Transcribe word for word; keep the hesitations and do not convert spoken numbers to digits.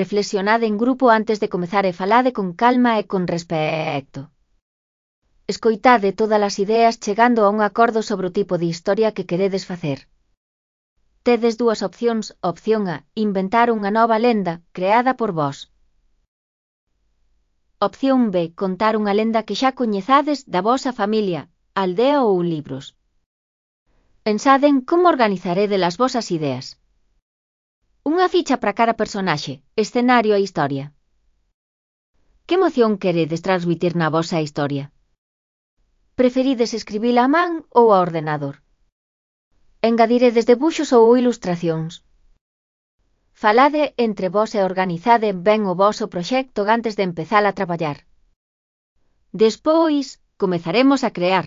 reflexionade en grupo antes de comezar e falade con calma e con respecto. Escoitade todas as ideas chegando a un acordo sobre o tipo de historia que queredes facer. Tedes dúas opcións. Opción A, inventar unha nova lenda, creada por vós. Opción B, contar unha lenda que xa coñezades da vosa familia, aldea ou libros. Pensade en como organizaredes as vosas ideas. Unha ficha para cada personaxe, escenario e historia. Que emoción queredes transmitir na vosa historia? Preferides escribila a man ou a ordenador? Engadiredes debuxos ou ilustracións? Falade entre vós e organizade ben o voso proxecto antes de empezar a traballar. Despois, comezaremos a crear.